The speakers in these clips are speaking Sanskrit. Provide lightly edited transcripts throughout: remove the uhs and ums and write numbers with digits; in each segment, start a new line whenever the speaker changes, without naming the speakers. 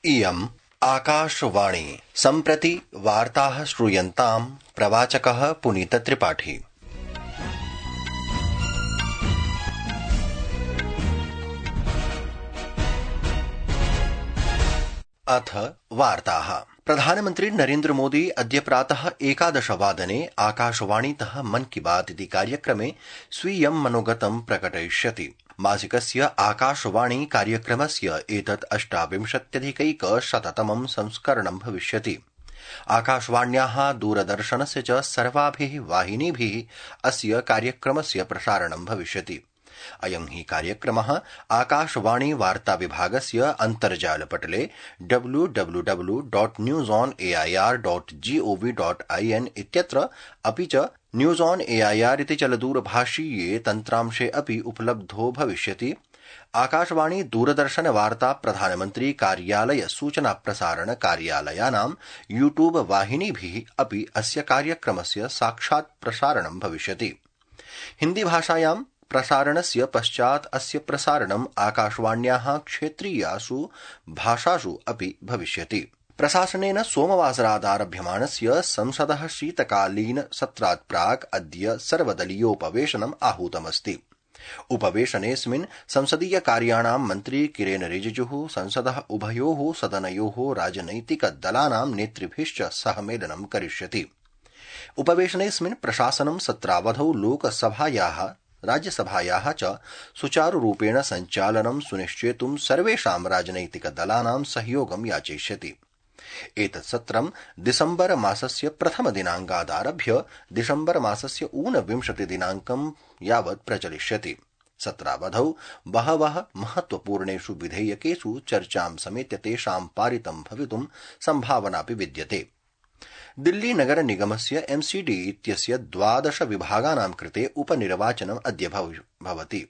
इयम् आकाशवाणी सम्प्रति वार्ताः श्रूयन्ताम् प्रवाचकः पुनीतत्रिपाठी। अथ वार्ताः। प्रधानमन्त्री नरेन्द्र मोदी अद्य प्रातः 11 वादने आकाशवाणीतः मन की बात इति कार्यक्रमे स्वीयं मनोगतं प्रकटयिष्यति। मासिकस्य आकाशवाणी कार्यक्रमस्य एतत् 28+100तमं संस्करणं भविष्यति। आकाशवाण्याः दूरदर्शनस्य च सर्वाभिः वाहिनीभिः अस्य कार्यक्रमस्य प्रसारणं भविष्यति। अयं हि कार्यक्रमः आकाशवाणी वार्ता विभागस्य अन्तर्जालपटले www.newsonair.gov.in इत्यत्र अपि च न्यूज ऑन एआईआर इति चलदूरभाषीये तन्त्रांशे अपि उपलब्धो भविष्यति। आकाशवाणी दूरदर्शन वार्ता प्रधानमन्त्री कार्यालय सूचना प्रसारण कार्यालयानां यूट्यूब वाहिनीभिः अपि अस्य कार्यक्रमस्य साक्षात् प्रसारणं भविष्यति। हिन्दी भाषायां प्रसारणस्य पश्चात् अस्य प्रसारणम् आकाशवाण्याः क्षेत्रीयासु भाषासु अपि भविष्यति। प्रशासनेन सोमवासरादारभ्यमाणस्य संसदः शीतकालीन सत्रात् प्राक् अद्य सर्वदलीयोपवेशनम् आहूतमस्ति। उपवेशनेऽस्मिन् संसदीय कार्याणां मन्त्री किरेन रिजिजुः संसदः उभयोः सदनयोः राजनैतिकदलानां नेतृभिश्च सह मेलनं करिष्यति। उपवेशनेऽस्मिन् प्रशासनं सत्रावधौ लोकसभायाः राज्यसभायाः च सुचारुरूपेण सञ्चालनं सुनिश्चेतुं सर्वेषां राजनैतिकदलानां सहयोगं याचयिष्यति। एतत् सत्रं दिसम्बर मासस्य प्रथम दिनाङ्कादारभ्य दिसम्बर मासस्य 29 दिनाङ्कं यावत् प्रचलिष्यति। सत्रावधौ बहवः महत्वपूर्णेषु विधेयकेषु चर्चां समेत्य तेषां पारितं भवितुं सम्भावनापि विद्यते। दिल्ली नगर निगमस्य MCD इत्यस्य 12 विभागानां कृते उपनिर्वाचनम् अद्य भवति।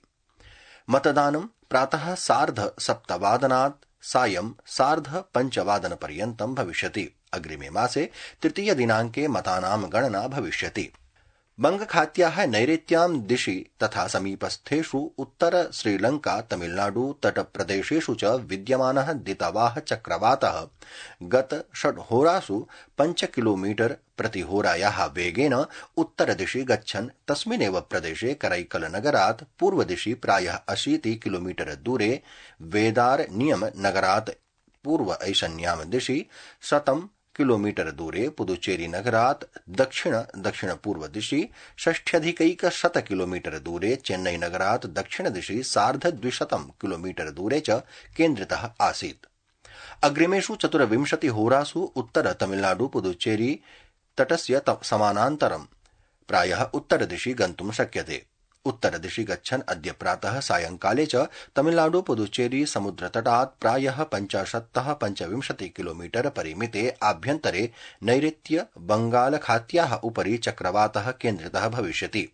मतदानं प्रातः 7:30 सायं 5:30 भविष्यति। अग्रिमे मासे तृतीय दिनाङ्के मतानां गणना भविष्यति। बंगखात्याः नैऋत्यां दिशि तथा समीपस्थेषु उत्तर श्रीलंका तमिलनाडु तटप्रदेशेषु च विद्यमानः दितवाह चक्रवातः गत 6 होरासु 5 किलोमीटर प्रतिहोरायाः वेगेन उत्तरदिशि गच्छन् तस्मिन्नेव प्रदेशे करैकलनगरात् पूर्वदिशि प्रायः 80 किलोमीटर दूरे वेदार नियम नगरात् पूर्व ऐशान्यां दिशि 100 किलोमीटर दूरे पुदुचेरी नगरात् दक्षिण पूर्व दिशि 60 किलोमीटर दूरे चेन्नई नगरात् दक्षिण दिशि 250 किलोमीटर दूरे च केन्द्रितः आसीत्। अग्रिमेषु 24 होरासु उत्तर तमिलनाडु पुदुचेरी तटस्य समानान्तरं प्रायः उत्तरदिशि गन्तुं शक्यते। उत्तरदिशि गच्छन् अद्य प्रातः सायंकाले च तमिलनाडु पुदुचेरी समुद्रतटात् प्रायः 50-25 किलोमीटर परिमिते आभ्यन्तरे नैऋत्य बंगालखात्याः उपरि चक्रवातः केन्द्रितः भविष्यति।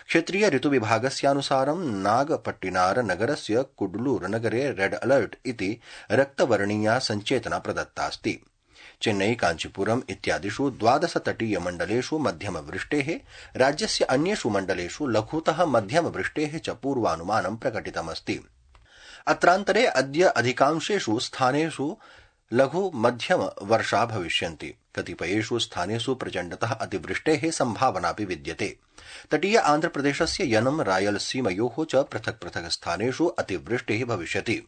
क्षेत्रीय ऋतुविभागस्यानुसारं नागपट्टिनार नगरस्य कुड्लूर नगरे रेड अलर्ट इति रक्तवर्णीया सञ्चेतना प्रदत्तास्ति। चेन्नई कांचीपुरम इत्यादिषु 12 तटीय मण्डलेषु मध्यमवृष्टेः, राज्यस्य अन्येषु मण्डलेषु लघुतः मध्यमवृष्टेः च पूर्वानुमानं प्रकटितमस्ति। अत्रान्तरे अद्य अधिकांशेषु स्थानेषु लघु मध्यम वर्षा भविष्यन्ति। कतिपयेषु स्थानेषु प्रचण्डतः अतिवृष्टेः सम्भावनापि विद्यते। तटीय आन्ध्रप्रदेशस्य यनं रायलसीमयोः च पृथक् पृथक् स्थानेषु अतिवृष्टिः भविष्यति।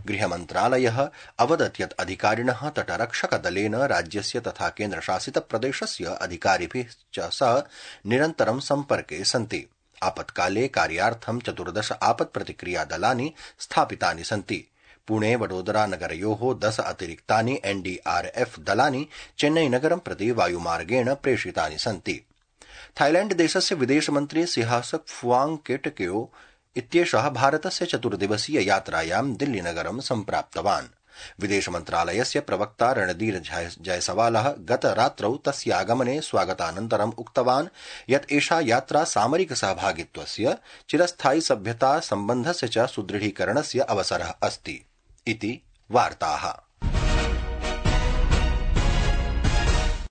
गृहमन्त्रालयः अवदत् यत् अधिकारिणः तटरक्षकदलेन राज्यस्य तथा केन्द्रशासितप्रदेशस्य अधिकारिभिः च सह निरन्तरं सम्पर्के सन्ति। आपत्काले कार्यार्थं 14 आपत्प्रतिक्रियादलानि स्थापितानि सन्ति। पुणे वडोदरा नगरयोः 10 अतिरिक्तानि NDRF दलानि चेन्नई नगरं प्रति वायुमार्गेण प्रेषितानि सन्ति। थाईलैण्ड देशस्य विदेशमन्त्री सिहासक फुआंगकेटकेओ इत्येषः भारतस्य 4 दिवसीय यात्रायां दिल्लीनगरं सम्प्राप्तवान्। विदेशमन्त्रालयस्य प्रवक्ता रणधीर जयसवालः गतरात्रौ तस्यागमने स्वागतानन्तरम् उक्तवान् यत् एषा यात्रा सामरिक सहभागित्वस्य चिरस्थायि सभ्यता सम्बन्धस्य च सुदृढीकरणस्य अवसरः अस्ति इति वार्ताः।